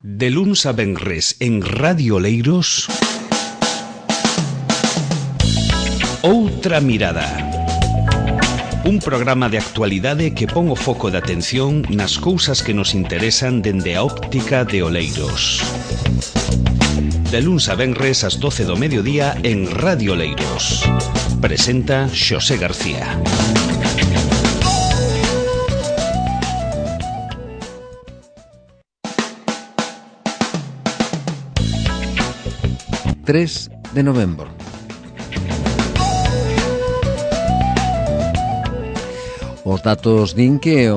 De luns a venres en Radio Oleiros, Outra Mirada. Un programa de actualidade que pon o foco de atención nas cousas que nos interesan dende a óptica de Oleiros. De luns a venres ás 12 do mediodía en Radio Oleiros. Presenta Xosé García. De novembro. Os datos din que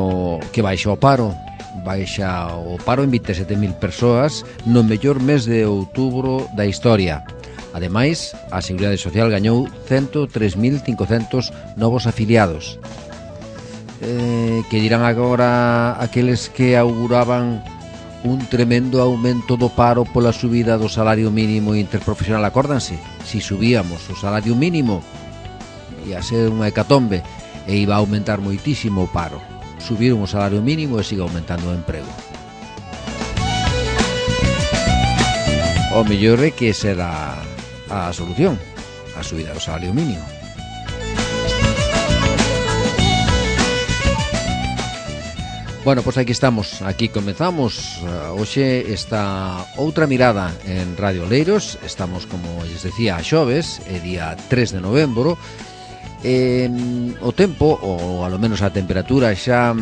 baixa o paro en 27.000 persoas no mellor mes de outubro da historia. Ademais, a Seguridade Social gañou 103.500 novos afiliados. Que dirán agora aqueles que auguraban un tremendo aumento do paro pola subida do salario mínimo interprofesional? Acórdanse, si subíamos o salario mínimo ia ser unha hecatombe e iba a aumentar moitísimo o paro. Subiron o salario mínimo e sigue aumentando o emprego. O mellor é que será a solución, a subida do salario mínimo. Bueno, pois aquí estamos, aquí comezamos. Hoxe está Outra Mirada en Radio Oleiros. Estamos, como lles decía, a xoves, é día 3 de novembro. O tempo, ou alo menos a temperatura, xa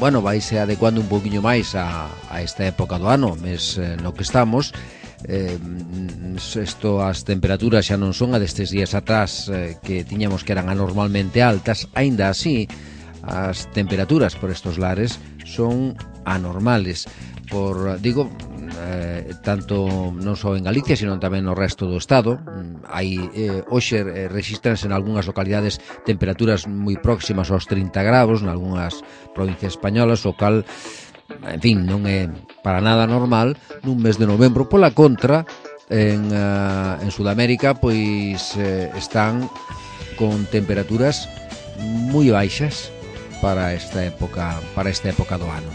vaise adecuando un poquinho máis a esta época do ano, mes no que estamos. As temperaturas xa non son a destes días atrás que tiñamos que eran anormalmente altas. Aínda así, as temperaturas por estos lares son anormales, tanto non só en Galicia, sino tamén no resto do estado. Hoxe rexistranse en algunhas localidades temperaturas moi próximas aos 30 graus, en algunhas provincias españolas, o cal, en fin, non é para nada normal nun mes de novembro. Pola contra, en Sudamérica, pois están con temperaturas moi baixas para esta época do ano.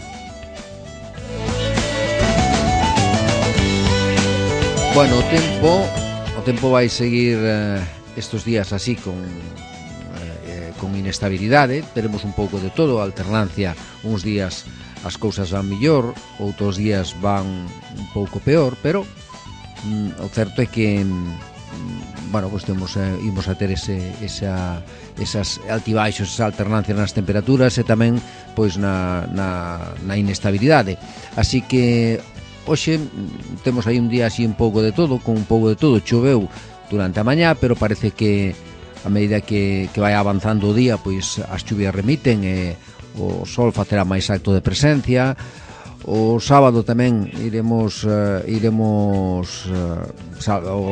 Bueno, o tempo vai seguir estes días así con inestabilidade. Teremos un pouco de todo, alternancia. Uns días as cousas van millor, outros días van un pouco peor, pero o certo é que imos a ter esas altibaixos, esa alternancia nas temperaturas e tamén pois na inestabilidade. Así que hoxe temos aí un día así un pouco de todo, con un pouco de todo. Choveu durante a mañá, pero parece que a medida que vai avanzando o día, pois as chuvias remiten e o sol facerá máis acto de presencia. O sábado tamén iremos o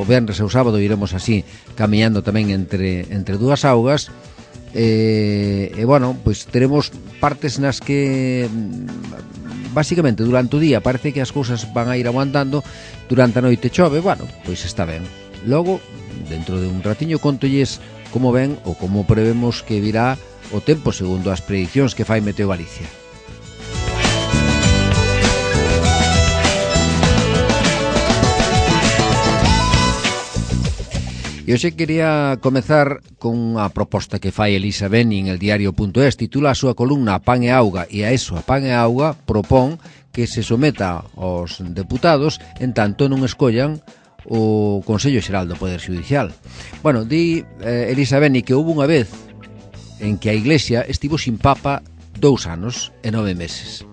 venres e o sábado iremos así camiñando tamén entre dúas augas. Pois teremos partes nas que basicamente durante o día parece que as cousas van a ir aguantando. Durante a noite chove, pois está ben. Logo, dentro de un ratiño, contolles como ven ou como prevemos que virá o tempo segundo as predicións que fai Meteo Galicia. E hoxe quería comezar con unha proposta que fai Elisa Beni en el diario.es. Titula a súa columna A Pan e Auga, e a eso, A Pan e Auga, propón que se someta aos deputados en tanto non escollan o Consello Xeral do Poder Xudicial. Di Elisa Beni que houve unha vez en que a Iglesia estivo sin Papa 2 anos e 9 meses.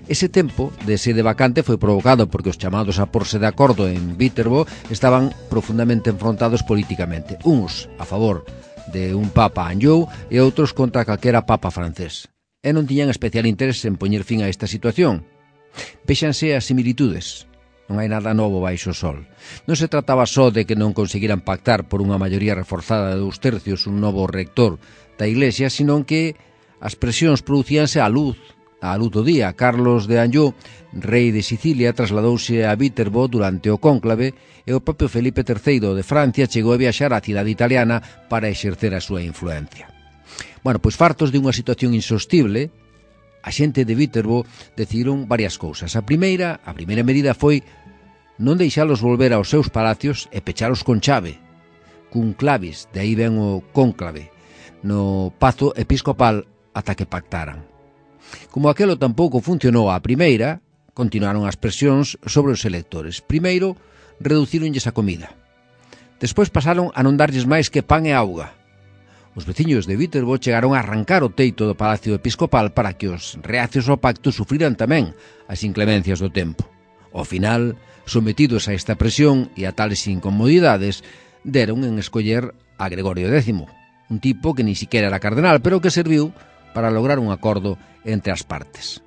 Ese tempo de sede vacante foi provocado porque os chamados a porse de acordo en Viterbo estaban profundamente enfrontados políticamente. Uns a favor de un Papa Anjou e outros contra calquera Papa francés. E non tiñan especial interese en poñer fin a esta situación. Véxanse as similitudes. Non hai nada novo baixo o sol. Non se trataba só de que non conseguiran pactar por unha maioría reforzada de 2/3 un novo rector da Iglesia, sino que as presións producíanse á luz do día. Carlos de Anjou, rei de Sicilia, trasladouse a Viterbo durante o cónclave e o propio Felipe III de Francia chegou a viaxar á cidade italiana para exercer a súa influencia. Pois fartos de unha situación insostible, a xente de Viterbo decidiron varias cousas. A primeira medida foi non deixalos volver aos seus palacios e pechalos con chave, cun clavis, de aí ven o cónclave, no pazo episcopal ata que pactaran. Como aquelo tampouco funcionou a primeira, continuaron as presións sobre os electores. Primeiro, reducíronlles a comida. Despois pasaron a non darlles máis que pan e auga. Os veciños de Viterbo chegaron a arrancar o teito do Palacio Episcopal para que os reacios ao pacto sufriran tamén as inclemencias do tempo. Ao final, sometidos a esta presión e a tales incomodidades, deron en escoller a Gregorio X, un tipo que ni siquiera era cardenal, pero que serviu para lograr un acordo entre as partes.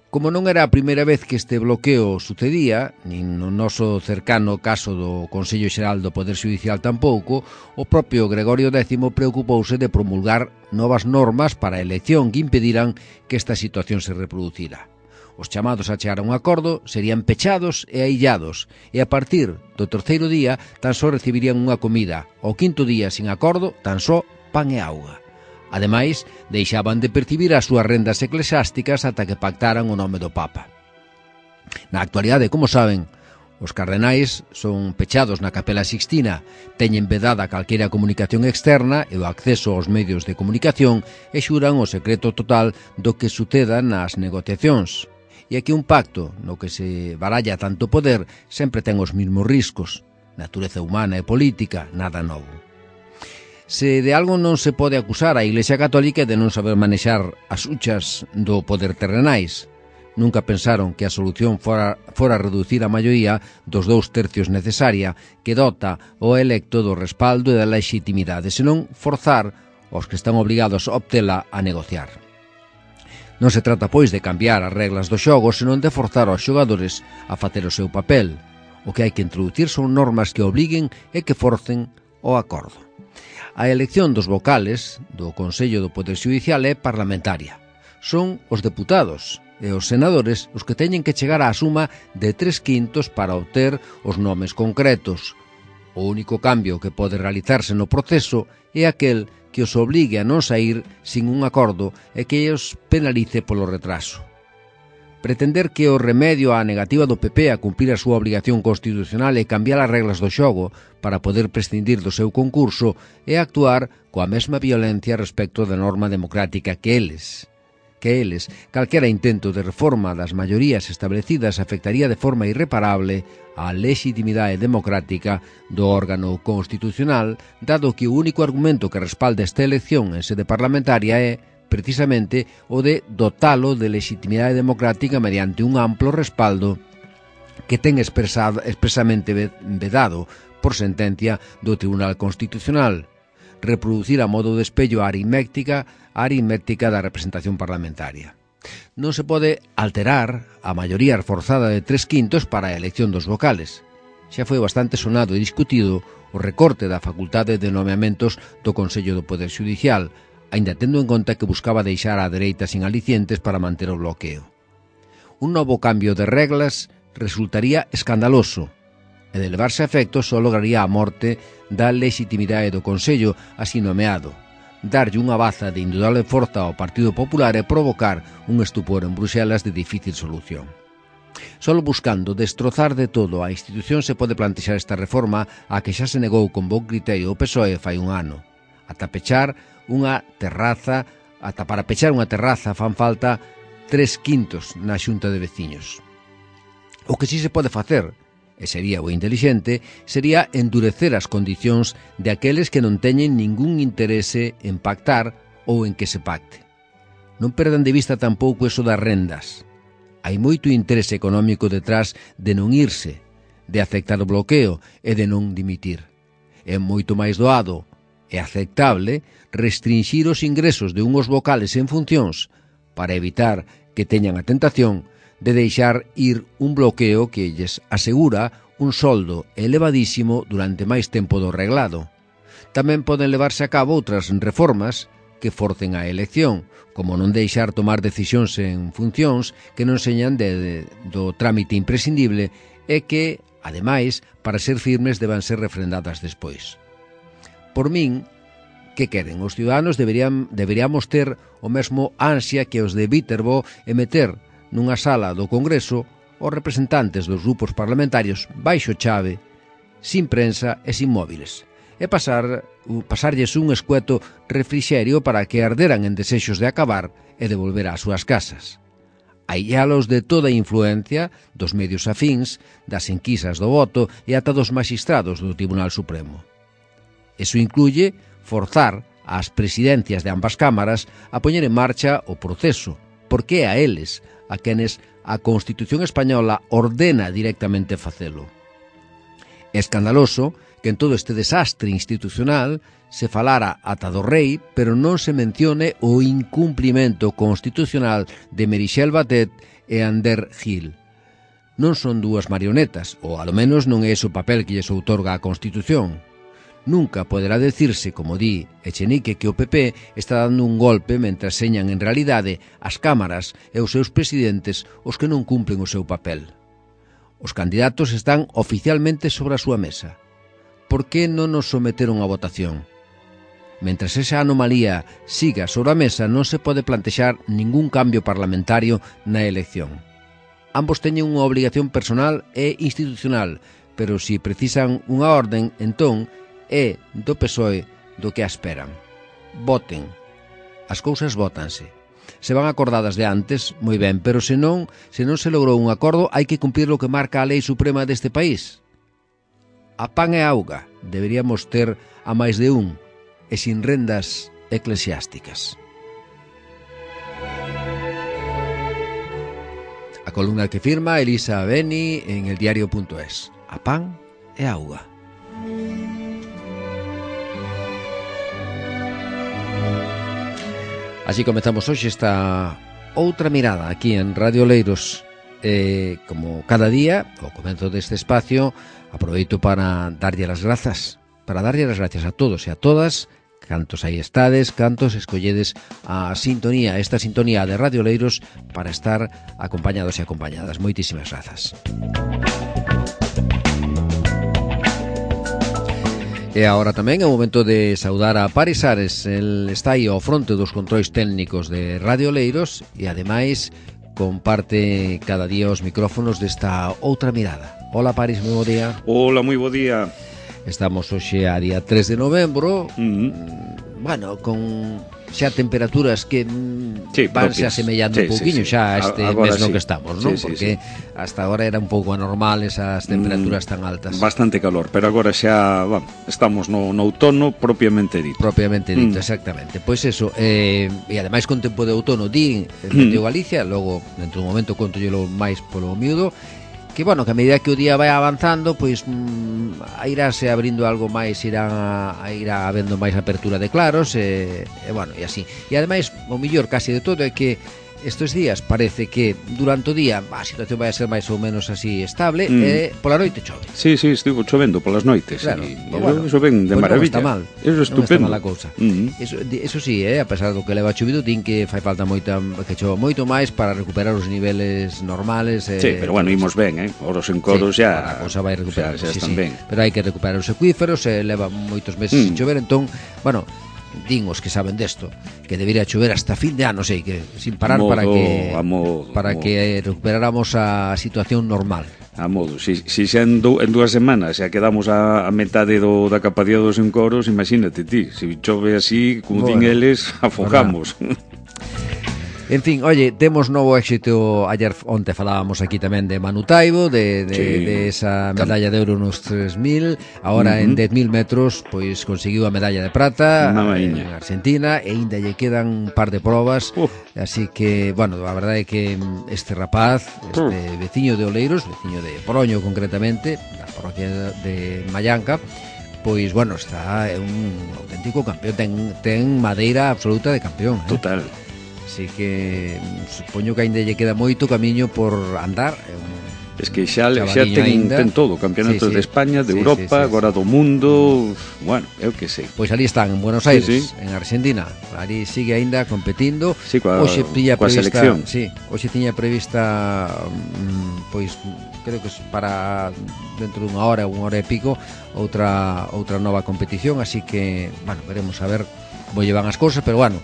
Como non era a primeira vez que este bloqueo sucedía, nin no noso cercano caso do Consello Xeral do Poder Xudicial tampouco, o propio Gregorio X preocupouse de promulgar novas normas para a elección que impediran que esta situación se reproducira. Os chamados a chegar a un acordo serían pechados e aillados, e a partir do terceiro día tan só recibirían unha comida, ao quinto día sin acordo tan só pan e auga. Ademais, deixaban de percibir as súas rendas eclesiásticas ata que pactaran o nome do Papa. Na actualidade, como saben, os cardenais son pechados na Capela Sixtina, teñen vedada calquera comunicación externa e o acceso aos medios de comunicación e xuran o secreto total do que suceda nas negociacións. E aquí un pacto no que se baralla tanto poder sempre ten os mesmos riscos. Natureza humana e política, nada novo. Se de algo non se pode acusar a Iglesia Católica de non saber manexar as huchas do poder terrenais. Nunca pensaron que a solución fora reducir a maioría dos 2/3 necesaria que dota o electo do respaldo e da legitimidade, senón forzar os que están obrigados a obtela a negociar. Non se trata, pois, de cambiar as reglas do xogo, senón de forzar aos xogadores a facer o seu papel. O que hai que introducir son normas que obliguen e que forcen o acordo. A elección dos vocales do Consello do Poder Xudicial é parlamentaria. Son os deputados e os senadores os que teñen que chegar á suma de 3/5 para obter os nomes concretos. O único cambio que pode realizarse no proceso é aquel que os obligue a non saír sin un acordo e que os penalice polo retraso. Pretender que o remedio á negativa do PP a cumprir a súa obrigación constitucional e cambiar as reglas do xogo para poder prescindir do seu concurso é actuar coa mesma violencia respecto da norma democrática que eles, calquera intento de reforma das maiorías establecidas afectaría de forma irreparable a legitimidade democrática do órgano constitucional, dado que o único argumento que respalda esta elección en sede parlamentaria é precisamente o de dotalo de legitimidade democrática mediante un amplo respaldo que ten expresamente vedado por sentencia do Tribunal Constitucional, reproducir a modo de espello a aritmética da representación parlamentaria. Non se pode alterar a maioría forzada de 3/5 para a elección dos vocales. Xa foi bastante sonado e discutido o recorte da facultade de nomeamentos do Consello do Poder Xudicial, aínda tendo en conta que buscaba deixar a dereita sin alicientes para manter o bloqueo. Un novo cambio de reglas resultaría escandaloso e de levarse a efecto só lograría a morte da legitimidade do Consello así nomeado, darlle unha baza de indudable forza ao Partido Popular e provocar un estupor en Bruxelas de difícil solución. Solo buscando destrozar de todo a institución se pode plantexar esta reforma a que xa se negou con bon criterio o PSOE fai un ano. Para pechar unha terraza fan falta 3/5 na Xunta de Veciños. O que si se pode facer, e sería o intelixente, sería endurecer as condicións de aqueles que non teñen ningún interese en pactar ou en que se pacte. Non perdan de vista tampouco eso das rendas. Hai moito interese económico detrás de non irse, de aceptar o bloqueo e de non dimitir. É moito máis doado e aceptable restringir os ingresos de unhos vocales en funcións para evitar que teñan a tentación de deixar ir un bloqueo que lles asegura un soldo elevadísimo durante máis tempo do reglado. Tamén poden levarse a cabo outras reformas que forcen a elección, como non deixar tomar decisións en funcións que non señan do trámite imprescindible e que, ademais, para ser firmes deban ser refrendadas despois. Por min, Que queren? Os ciudadanos deberíamos ter o mesmo ansia que os de Viterbo e meter nunha sala do Congreso os representantes dos grupos parlamentarios baixo chave, sin prensa e sin móviles, e pasarlles un escueto refrixerio para que arderan en desexos de acabar e de volver ás súas casas. Aillalos de toda a influencia dos medios afíns, das enquisas do voto e ata dos magistrados do Tribunal Supremo. Eso incluye forzar ás presidencias de ambas cámaras a poñer en marcha o proceso, porque é a eles a quenes a Constitución española ordena directamente facelo. É escandaloso que en todo este desastre institucional se falara ata do rei, pero non se mencione o incumplimento constitucional de Meritxell Batet e Ander Gil. Non son dúas marionetas, ou alo menos non é ese o papel que lles outorga a Constitución. Nunca poderá decirse, como di Echenique, que o PP está dando un golpe mentre señan en realidade as cámaras e os seus presidentes os que non cumplen o seu papel. Os candidatos están oficialmente sobre a súa mesa. Por que non nos someteron a votación? Mentres esa anomalía siga sobre a mesa, non se pode plantexar ningún cambio parlamentario na elección. Ambos teñen unha obligación personal e institucional, pero se precisan unha orden, entón é do PSOE do que a esperan. Voten. As cousas vótanse. Se van acordadas de antes, moi ben, pero se non se logrou un acordo, hai que cumprir o que marca a lei suprema deste país. A pan e auga deberíamos ter a máis de un e sin rendas eclesiásticas. A columna que firma Elisa Beni en eldiario.es. A pan e auga. Así comezamos hoxe esta outra mirada aquí en Radio Oleiros. Como cada día, ao comezo deste espacio, aproveito para darlle as grazas, a todos e a todas, cantos aí estades, cantos escolledes a sintonía, esta sintonía de Radio Oleiros para estar acompañados e acompañadas. Moitísimas grazas. E agora tamén é o momento de saudar a Paris Ares. El está aí ao fronte dos controis técnicos de Radio Oleiros e ademais comparte cada día os micrófonos desta outra mirada. Hola Paris, moi bo día. Hola, moi bo día. Estamos hoxe a día 3 de novembro. Bueno, con xa temperaturas que vanse asemellando un pouquiño xa este mes no que estamos, non? Porque hasta agora era un pouco anormal esas temperaturas tan altas. Bastante calor, pero agora xa estamos no outono propiamente dito. Propiamente dito, exactamente. Pois eso, e ademais con tempo de outono din de Galicia, logo dentro dun momento contollelo máis polo miúdo, que bueno, que a medida que o día vai avanzando, pois irase abrindo algo máis, irá habendo máis apertura de claros e bueno, e así. E ademais, o mellor casi de todo é que estes días parece que durante o día a situación vai a ser máis ou menos así estable e pola noite chove. Sí, estivo chovendo polas noites. Claro, bueno, eso ven de maravilla. Non está mal. Eso é estupendo. Non está mal a cousa. Eso sí, a pesar do que leva chovido, din que fai falta que chova moito máis para recuperar os niveles normales. Sí, pero bueno, imos ben, oros en coros xa. A cousa vai recuperar, xa están ben. Pero hai que recuperar os acuíferos, leva moitos meses sin chover, entón, bueno, din os que saben desto que debería chover hasta fin de ano, sei que sin parar para que recuperáramos a situación normal. A modo, si xa en 2 semanas xa quedamos a metade da capacidade dos encoros, imagínate ti, se chove así, como din eles, afogamos. En fin, oye, temos novo éxito. Onte falábamos aquí tamén de Manu Taibo, de esa medalla de ouro nos 3.000. Agora en 10.000 metros pois conseguiu a medalla de prata en Argentina e ainda lle quedan un par de probas. Así que, bueno, a verdade é que este rapaz, este veciño de Oleiros, veciño de Poroño concretamente, da parroquia de Mallanca, pois, bueno, é un auténtico campeón, ten madeira absoluta de campeón. Total. Así que supoño que ainda lle queda moito camiño por andar. Es que xa ten todo, campeonatos de España, de Europa, agora do mundo, bueno, eu que sei. Pois ali están, en Buenos Aires, en Argentina. Ali sigue aínda competindo. Hoxe selección. Hoxe tiña prevista, pois, creo que para dentro dunha hora e pico, outra nova competición, así que, bueno, veremos a ver como llevan as cousas, pero bueno,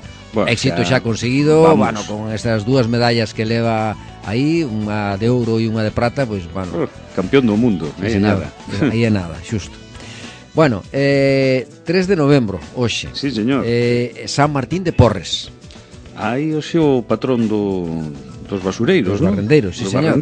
éxito xa conseguido, bueno, con estas dúas medallas que leva aí, unha de ouro e unha de prata, pois, bueno, campeón do mundo, aí é nada, xusto. Bueno, 3 de novembro, hoxe. Sí, señor. San Martín de Porres. Aí hoxe o patrón dos basureiros, dos barrendeiros, sí, señor.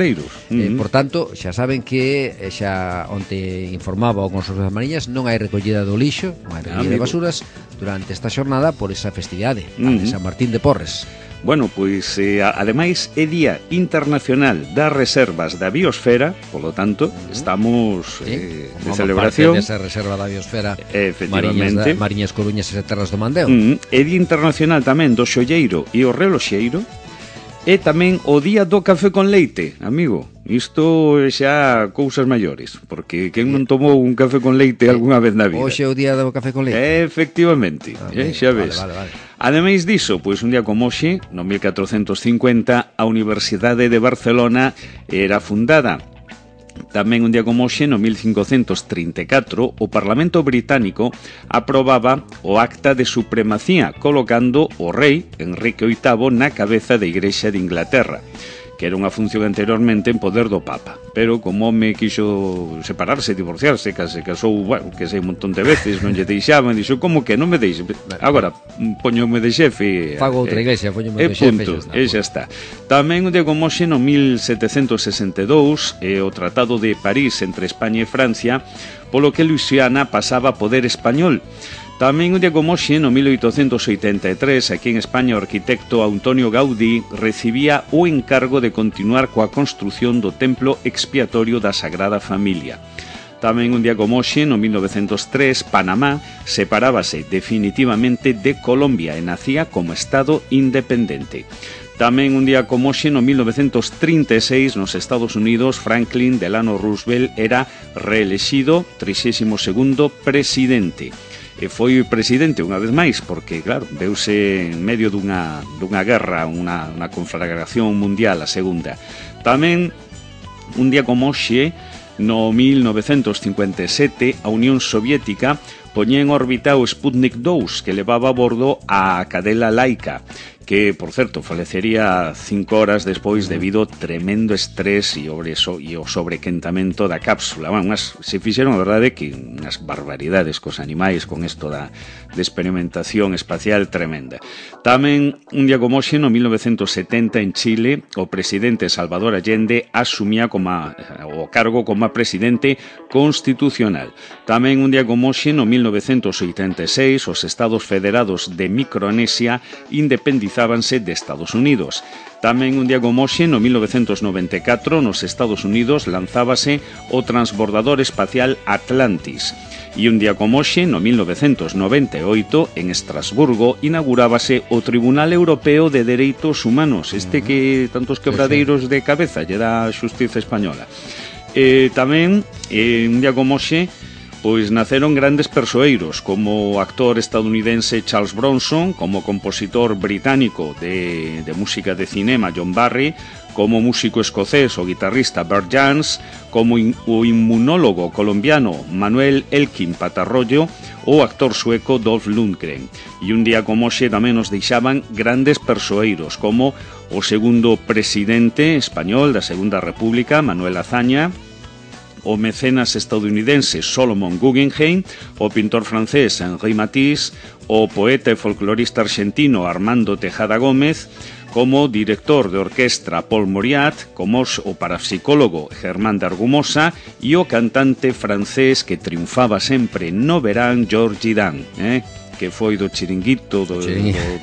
Por tanto, xa saben que xa onte informaba o Consorcio das Mariñas, non hai recollida do lixo, non hai recollida de basuras durante esta xornada por esa festividade de San Martín de Porres. Bueno, pois, ademais, é Día Internacional das Reservas da Biosfera, polo tanto, estamos de celebración. Desa reserva da Biosfera, efectivamente. Mariñas Coruñas e Terras do Mandeo. É Día Internacional tamén do Xolleiro e o Reloxeiro, e tamén o Día do Café con Leite, amigo. Isto é xa cousas maiores, porque quen non tomou un café con leite algunha vez na vida? Hoxe é o Día do Café con Leite. Efectivamente, xa ves. Vale. Ademais diso, pois un día como hoxe, no 1450, a Universidade de Barcelona era fundada. Tamén un día como hoxe, no 1534, o Parlamento británico aprobaba o Acta de Supremacía, colocando o rei Enrique VIII na cabeza da Igrexa de Inglaterra, que era unha función anteriormente en poder do Papa. Pero como home quixo separarse, divorciarse, se casou, bueno, que sei, un montón de veces, non lle deixaban, dixo, como que non me deixe? Agora, poñome de xefe. Fago outra iglesia, poñome de xefe. E xa está. Tamén un día como hoxe, no 1762, o Tratado de París entre España e Francia, polo que Luisiana pasaba a poder español. Tamén un día como hoxe, no 1883, aquí en España, o arquitecto Antonio Gaudí recibía o encargo de continuar coa construción do templo expiatorio da Sagrada Familia. Tamén un día como hoxe, no 1903, Panamá separábase definitivamente de Colombia e nacía como Estado independente. Tamén un día como hoxe, no 1936, nos Estados Unidos, Franklin Delano Roosevelt era reelexido 32º presidente. E foi presidente unha vez máis, porque, claro, veuse en medio dunha guerra, unha conflagración mundial, a segunda. Tamén, un día como hoxe, no 1957, a Unión Soviética poñía en órbita o Sputnik 2, que levaba a bordo a cadela Laika, que, por certo, falecería 5 horas despois debido ao tremendo estrés e o sobrequentamento da cápsula. Bueno, se fixeron, a verdade, que unhas barbaridades cos animais con isto de experimentación espacial tremenda. Tamén, un día como hoxe, no 1970, en Chile, o presidente Salvador Allende asumía o cargo como presidente constitucional. Tamén, un día como hoxe, no 1986, os Estados Federados de Micronesia independizábanse de Estados Unidos. Tamén un día como hoxe, no 1994, nos Estados Unidos lanzábase o transbordador espacial Atlantis. E un día como hoxe, no 1998, en Estrasburgo, inaugurábase o Tribunal Europeo de Dereitos Humanos, que tantos quebradeiros de cabeza lle dá a xustiza española. Tamén, un día como hoxe, pois naceron grandes persoeiros, como o actor estadounidense Charles Bronson, como compositor británico de música de cinema John Barry, como músico escocés o guitarrista Bert Jansch, como o inmunólogo colombiano Manuel Elkin Patarroyo ou o actor sueco Dolph Lundgren. E un día como hoxe tamén nos deixaban grandes persoeiros, como o segundo presidente español da Segunda República, Manuel Azaña, o mecenas estadounidense Solomon Guggenheim, o pintor francés Henri Matisse, o poeta e folclorista argentino Armando Tejada Gómez, como director de orquestra Paul Mauriat, como o parapsicólogo Germán de Argumosa e o cantante francés que triunfaba sempre no verán Georges Dan, que foi do Chiringuito, do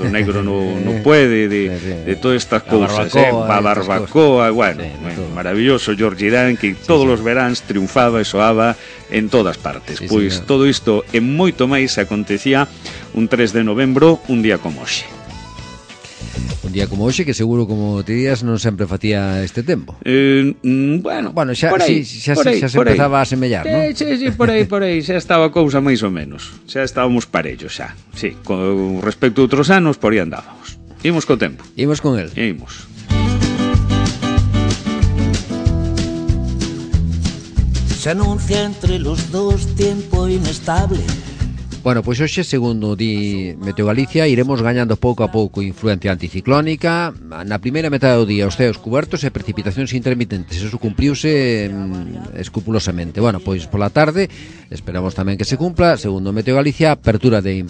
Negro no puede, de todas estas cousas, a barbacoa, bueno, maravilloso Georges Dan, que todos os veráns triunfaba e soaba en todas partes. Pois todo isto e moito máis acontecía un 3 de novembro, un día como hoxe. Un día como hoxe, que seguro, como te días, non sempre facía este tempo. Bueno, xa se empezaba a semellar, non? Sí, por aí, xa estaba a cousa máis ou menos. Xa estábamos parellos, xa. Sí, con respecto a outros anos, por aí andábamos. Imos co tempo. Imos con el. Imos. Se anuncia entre los dos tiempo inestable. Bueno, pois hoxe, segundo di Meteo Galicia, iremos gañando pouco a pouco influencia anticiclónica. Na primeira metade do día os ceos cubertos e precipitacións intermitentes. Eso cumpliuse escrupulosamente. Bueno, pois pola tarde esperamos tamén que se cumpla. Segundo Meteo Galicia, apertura de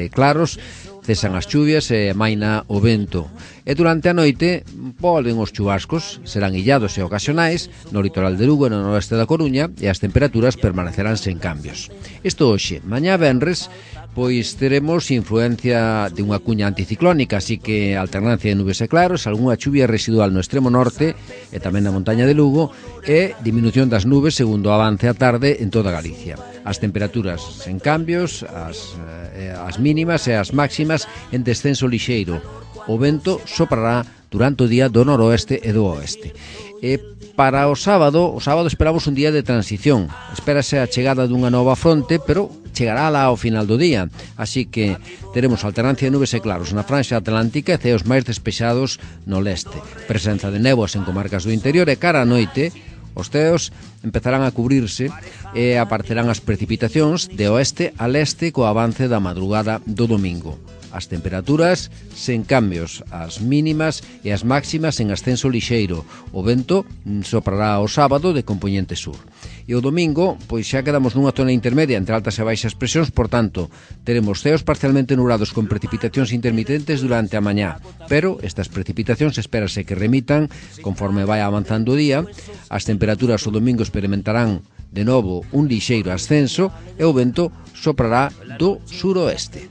claros, cesan as chuvias e maina o vento. E durante a noite volven os chubascos, serán illados e ocasionais no litoral de Lugo e no noroeste da Coruña, e as temperaturas permanecerán sen cambios. Isto hoxe, mañá venres, pois teremos influencia de unha cuña anticiclónica, así que alternancia de nubes e claros, algunha chuvia residual no extremo norte e tamén na montaña de Lugo, e diminución das nubes segundo avance a tarde en toda Galicia. As temperaturas sen cambios, as mínimas e as máximas en descenso lixeiro. O vento soprará durante o día do noroeste e do oeste. E para o sábado esperamos un día de transición. Espérase a chegada dunha nova fronte, pero chegará lá ao final do día. Así que teremos alternancia de nubes e claros na franxa atlántica e ceos máis despexados no leste. Presenza de néboas en comarcas do interior e cara a noite os ceos empezarán a cubrirse e aparecerán as precipitacións de oeste a leste co avance da madrugada do domingo. As temperaturas sen cambios, as mínimas e as máximas en ascenso lixeiro. O vento soprará o sábado de compoñente sur. E o domingo, pois xa quedamos nunha zona intermedia entre altas e baixas presións, por tanto, teremos ceos parcialmente nublados con precipitacións intermitentes durante a mañá, pero estas precipitacións espérase que remitan conforme vai avanzando o día. As temperaturas o domingo experimentarán de novo un lixeiro ascenso e o vento soprará do suroeste.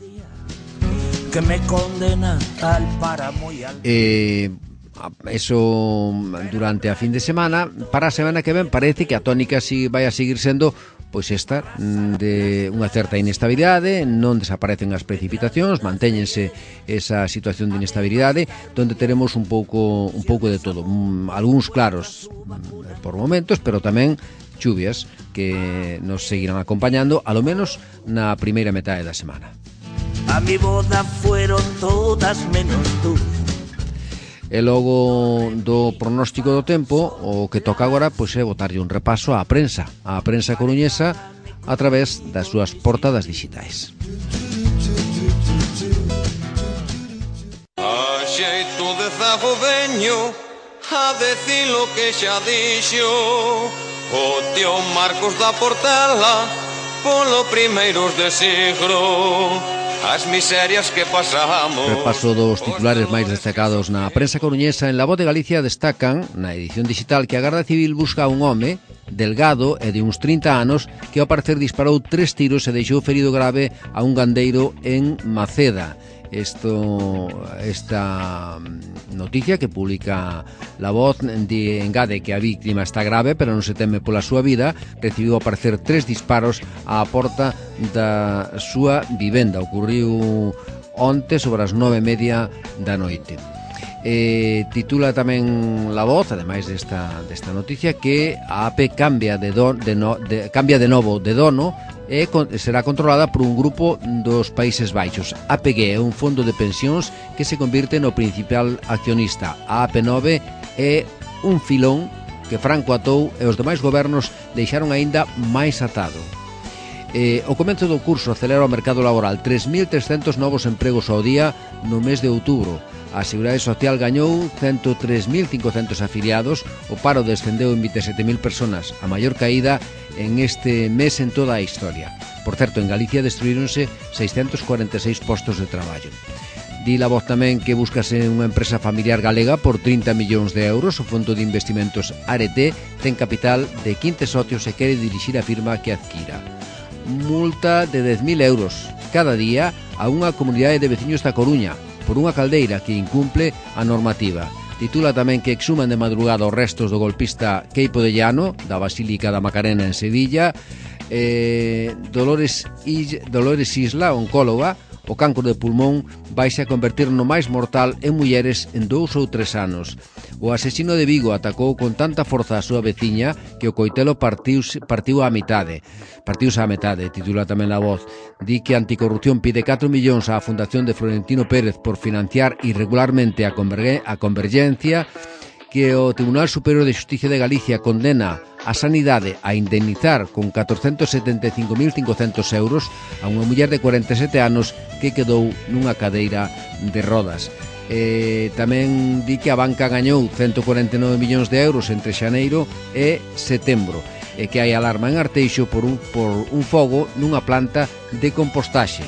Que me condena al páramo y al... Eso durante a fin de semana. Para a semana que ven parece que a tónica si vai a seguir sendo pois esta de unha certa inestabilidade, non desaparecen as precipitacións, mantéñense esa situación de inestabilidade, donde teremos un pouco de todo, algúns claros por momentos, pero tamén chuvias que nos seguirán acompañando, a lo menos na primeira metade da semana. A mi boda fueron todas menos tú. E logo do pronóstico do tempo, o que toca agora pois é botarlle un repaso á prensa coruñesa a través das súas portadas digitais. A xeito de zago veño a decir lo que xa dixo o tío Marcos da Portela polo primeiros de siglo. As miserias que pasamos. Repaso dos titulares máis destacados na prensa coruñesa. En La Voz de Galicia destacan na edición digital que a Garda Civil busca a un home delgado e de uns 30 anos que ao parecer disparou 3 tiros e deixou ferido grave a un gandeiro en Maceda. Esta noticia que publica La Voz engade que a víctima está grave, pero non se teme pola súa vida. Recibiu ao parecer 3 disparos á porta da súa vivenda. Ocurriu onte sobre as 9:30 da noite. Titula tamén La Voz, ademais desta noticia, que a AP cambia de novo de dono e será controlada por un grupo dos Países Baixos. APG é un fondo de pensións que se convirte no principal accionista. A AP9 é un filón que Franco atou e os demais gobernos deixaron aínda máis atado. O comezo do curso acelera o mercado laboral. 3.300 novos empregos ao día no mes de outubro. A Seguridade Social gañou 103.500 afiliados. O paro descendeu en 27.000 personas, a maior caída en este mes en toda a historia. Por certo, en Galicia destruíronse 646 postos de traballo. Di La Voz tamén que buscase unha empresa familiar galega por 30 millóns de euros. O Fondo de Investimentos Arete ten capital de 15 socios e quere dirixir a firma que adquira. Multa de 10.000 euros cada día a unha comunidade de veciños da Coruña por unha caldeira que incumple a normativa. Titula tamén que exhuman de madrugada os restos do golpista Queipo de Llano da Basílica da Macarena en Sevilla. Dolores Isla, oncóloga, o cancro de pulmón vaise a convertir no máis mortal en mulleres en 2 ou 3 anos. O asesino de Vigo atacou con tanta forza a súa veciña que o coitelo partiuse á metade, titula tamén La Voz. Di que Anticorrupción pide 4 millóns á Fundación de Florentino Pérez por financiar irregularmente a Convergencia, que o Tribunal Superior de Xusticia de Galicia condena a Sanidade a indemnizar con 475.500 euros a unha muller de 47 anos que quedou nunha cadeira de rodas. Tamén di que a banca gañou 149 millóns de euros entre xaneiro e setembro e que hai alarma en Arteixo por un fogo nunha planta de compostaxe.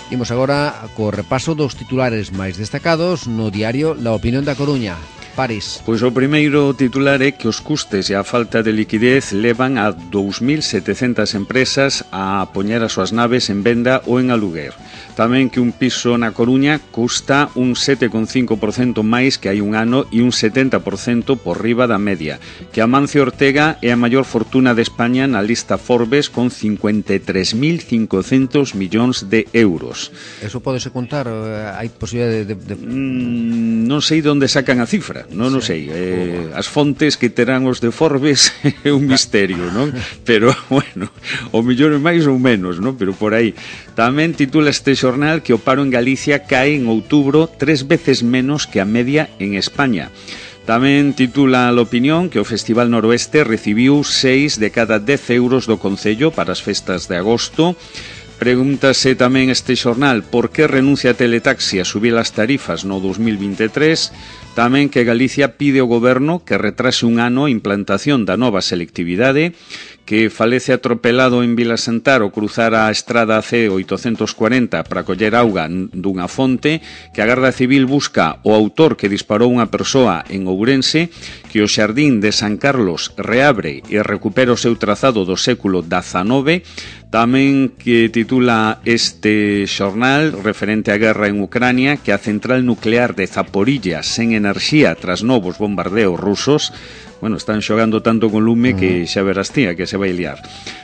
Imos agora co repaso dos titulares máis destacados no diario La Opinión da Coruña. París. Pois o primeiro titular é que os custes e a falta de liquidez levan a 2.700 empresas a poñer as súas naves en venda ou en aluguer. Tamén que un piso na Coruña custa un 7,5% máis que hai un ano e un 70% por riba da media. Que Amancio Ortega é a maior fortuna de España na lista Forbes con 53.500 millóns de euros. Eso podese contar? Hai posibilidade de... Non sei de onde sacan a cifra, non sei. As fontes que terán os de Forbes é un misterio, non? Pero, bueno, o millón é máis ou menos, non? Pero por aí. Tamén titula este xornal que o paro en Galicia cae en outubro 3 veces menos que a media en España. Tamén titula a Opinión que o Festival Noroeste recibiu 6 de cada 10 euros do Concello para as festas de agosto. Pregúntase tamén este xornal por que renuncia a Teletaxi a subir as tarifas no 2023. Tamén que Galicia pide ao goberno que retrase un ano a implantación da nova selectividade, que falece atropelado en Vilasantar ao cruzar a estrada C840 para coller auga dunha fonte, que a Garda Civil busca o autor que disparou unha persoa en Ourense, que o Xardín de San Carlos reabre e recupera o seu trazado do século XIX. Tamén que titula este xornal referente á guerra en Ucrania que a central nuclear de Zaporilla sen enerxía tras novos bombardeos rusos. Bueno, están xogando tanto con lume que xa verás tía que se vai liar.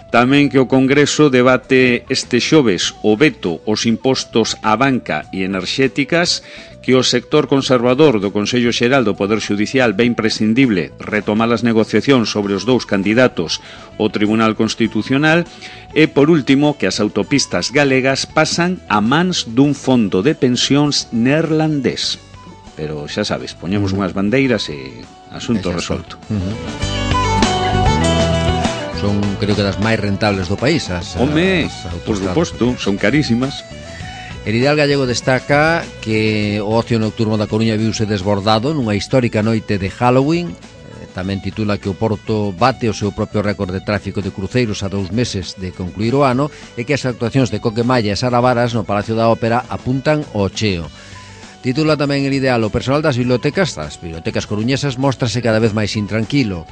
Tamén que o Congreso debate este xoves o veto aos impostos á banca e enerxéticas, que o sector conservador do Consello Xeral do Poder Xudicial ve imprescindible retomar as negociacións sobre os dous candidatos ao Tribunal Constitucional e, por último, que as autopistas galegas pasan a mans dun fondo de pensións neerlandés. Pero xa sabes, poñemos unhas bandeiras e asunto resolto. Son, creo que, das máis rentables do país. Home, por suposto, son carísimas. El Ideal Gallego destaca que o ocio nocturno da Coruña viuse desbordado nunha histórica noite de Halloween. Tamén titula que o Porto bate o seu propio récord de tráfico de cruceiros a 2 meses de concluir o ano e que as actuacións de Coquemalla e Sara Varas no Palacio da Ópera apuntan ao cheo. Titula tamén El Ideal: o personal das bibliotecas coruñesas móstrase cada vez máis intranquilo.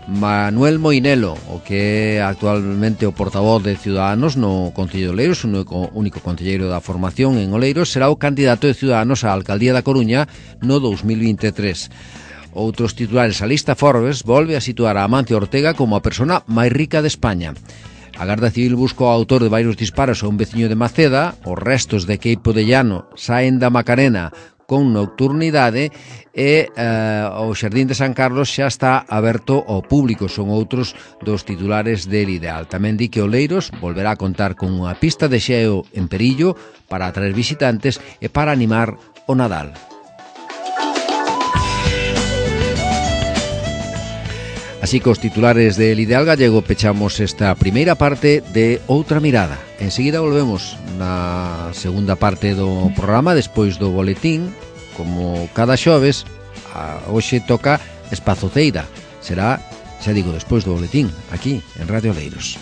Manuel Moinelo, o que é actualmente o portavoz de Ciudadanos no Concello de Oleiros, o único concelleiro da formación en Oleiros, será o candidato de Ciudadanos á alcaldía da Coruña no 2023. Outros titulares: a lista Forbes volve a situar a Amancio Ortega como a persona máis rica de España. A Garda Civil busca o autor de varios disparos a un veciño de Maceda. Os restos de Queipo de Llano saen da Macarena con nocturnidade e o Xardín de San Carlos xa está aberto ao público. Son outros dos titulares del Ideal. Tamén di que Oleiros volverá a contar con unha pista de xeo en Perillo para atraer visitantes e para animar o Nadal. Así que os titulares del Ideal Gallego pechamos esta primeira parte de Outra Mirada. Enseguida volvemos na segunda parte do programa despois do boletín. Como cada xoves, hoxe toca Espazo Ceira. Será, xa digo, despois do boletín, aquí en Radio Oleiros.